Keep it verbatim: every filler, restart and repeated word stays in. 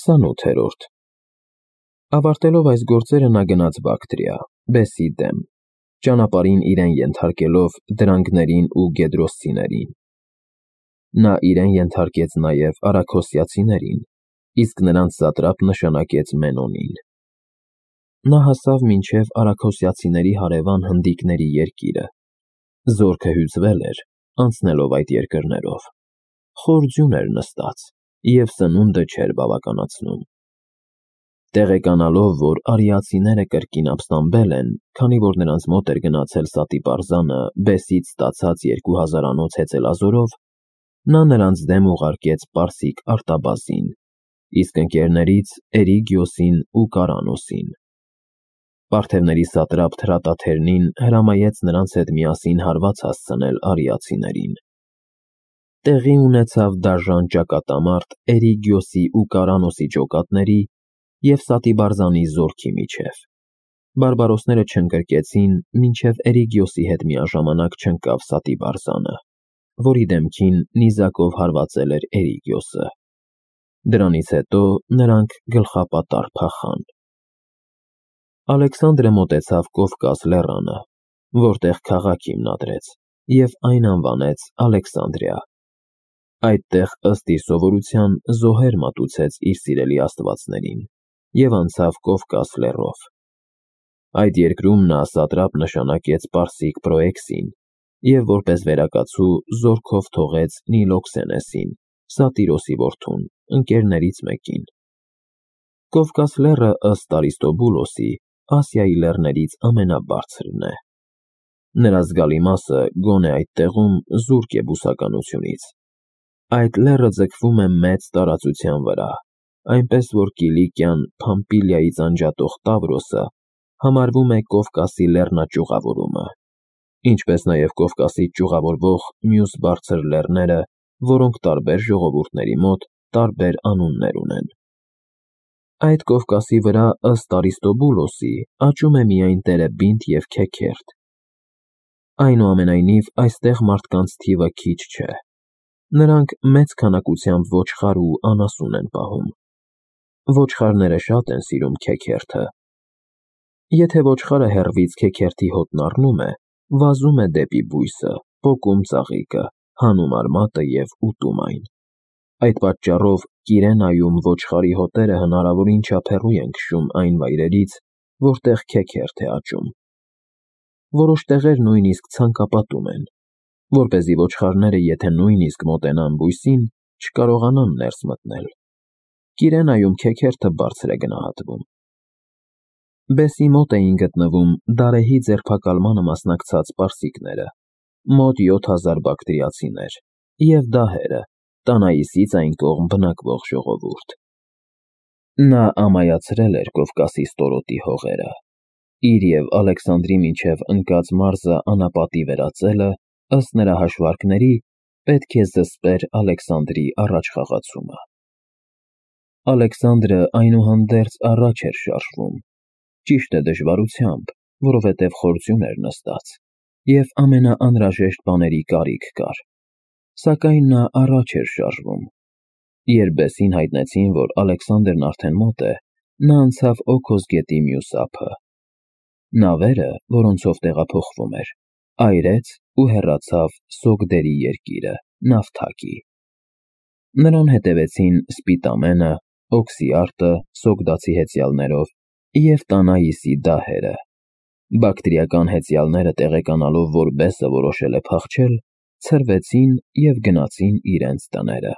քսանութերորդ Ավարտելով այս գործերը նա գնաց Բակտրիա, բեսի դեմ, ճանապարհին իրեն ենթարկելով դրանգներին ու գեդրոսցիներին։ Նա իրեն ենթարկեց նաև արաքոսիացիներին, իսկ նրանց սատրապ նշանակեց Մենոնին։ Նա հասավ մինչև արաքոսիացիների հարևան հնդիկների երկիրը։ Զորքը հյուծվել էր, անցնելով այդ երկրներով։ Խոր ձյուն էր նստած, և սնունդը չէր բավականացնում։ Տեղեկանալով, որ արիացիները կրկին ապստամբել են, քանի որ նրանց մոտ էր գնացել Սատիպարզանը բեսից ստացած երկու հազարանոց հեծելազորով, նա նրանց դեմ ուղարկեց պարսիկ արտաբազին, իսկ ընկերներից Էրիգիոսին ու Կարանոսին։ Պարթևների սատրապ Թրատաթերնին հրամայեց նրանց հետ միասին հարված հասցնել արիացիներին։ Տեղի ունեցավ դաժան ճակատամարտ Էրիգիոսի ու Կարանոսի ջոկատների և Սատիբարզանի զորքի միջև։ Բարբարոսները չընկրկեցին, մինչև Էրիգիոսի հետ միաժամանակ չընկավ Սատիբարզանը, որի դեմքին նիզակով հարվածել էր Էրիգիոսը։ Դրանից հետո նրանք գլխապատառ փախան։ Ալեքսանդրը մոտեցավ Կովկաս լեռանը, որտեղ քաղաք հիմնադրեց, և այն անվանեց Ալեքսանդրիա։ Այդտեղ, ըստ իր սովորության, զոհեր մատուցեց իր սիրելի աստվածներին և անցավ Կովկաս լեռով։ Այդ երկրում նա սատրապ նշանակեց պարսիկ Պրոեքսին և որպես վերակացու զորքով թողեց Նիլոքսենեսին, Սատիրոսի որդուն, ընկերներից մեկին։ Կովկաս լեռը, ըստ Արիստոբուլոսի, Ասիայի լեռներից ամենաբարձրն է։ Նրա զգալի մասը գոնե այդ տեղում զուրկ է բուսականությունից։ Այդ լեռը ձգվում է մեծ տարածության վրա, այնպես որ Կիլիկիան Փամփիլիայից անջատող Տավրոսը համարվում է Կովկասի լեռնաճյուղավորումը, ինչպես նաև Կովկասից ճյուղավորվող մյուս բարձր լեռները, որոնք տարբեր ժողովուրդների մոտ տարբեր անուններ ունեն։ Այդ Կովկասի վրա, ըստ Արիստոբուլոսի, աճում է միայն տերևբինտ և քեքերթ։ Այնուամենայնիվ, այստեղ մարդկանց թիվը քիչ չէ։ Նրանք մեծ քանակությամբ ոչխար ու անասուն են պահում։ Ոչխարները շատ են սիրում քեքերթը։ Եթե ոչխարը հեռվից քեքերթի հոտն առնում է, վազում է դեպի բույսը, պոկում ծաղիկը, հանում արմատը և ուտում այն։ Այդ պատճառով Կիրենայում ոչխարի հոտերը հնարավորին չափ հեռու են քշում այն վայրերից, որտեղ քեքերթ է աճում։ Որոշ տեղեր նույնիսկ ցանկապատում են, որպեսզի ոչխարները, եթե նույնիսկ մոտենան բույսին, չկարողանան ներս մտնել։ Կիրենայում քեքերթը բարձր է գնահատվում։ Բեսի մոտ էին գտնվում Դարեհի ձերբակալմանը մասնակցած պարսիկները, մոտ յոթ հազար բակտրիացիներ, և դահերը, Տանաիսից այն կողմ բնակվող ժողովուրդ։ Նա ամայացրել էր Կովկասի ստորոտի հողերը։ Իր և Ալեքսանդրի միջև ընկած մարզը անապատի վերածելը, ըստ նրա հաշվարկների, պետք է զսպեր Ալեքսանդրի առաջխաղացումը։ Ալեքսանդրը այնուհանդերձ առաջ էր շարժվում, ճիշտ է դժվարությամբ, որովհետև խոր ձյուն էր նստած, և ամենաանհրաժեշտ բաների կարիք կար, սակայն նա առաջ էր շարժվում։ Երբ բեսին հայտնեցին, որ Ալեքսանդրն արդեն մոտ է, նա անցավ Օքոս գետի մյուս ափը։ Նավերը, որոնցով տեղափոխվում էր, այրեց ու հեռացավ Սոգդերի երկիրը, Նավթակի։ Նրան հետևեցին Սպիտամենը, Օքսիարտը սոգդացի հեծյալներով և Տանաիսի դահերը։ Բակտրիական հեծյալները տեղեկանալով, որ բեսը որոշել է փախչել, ցրվեցին և գնացին իրենց տները։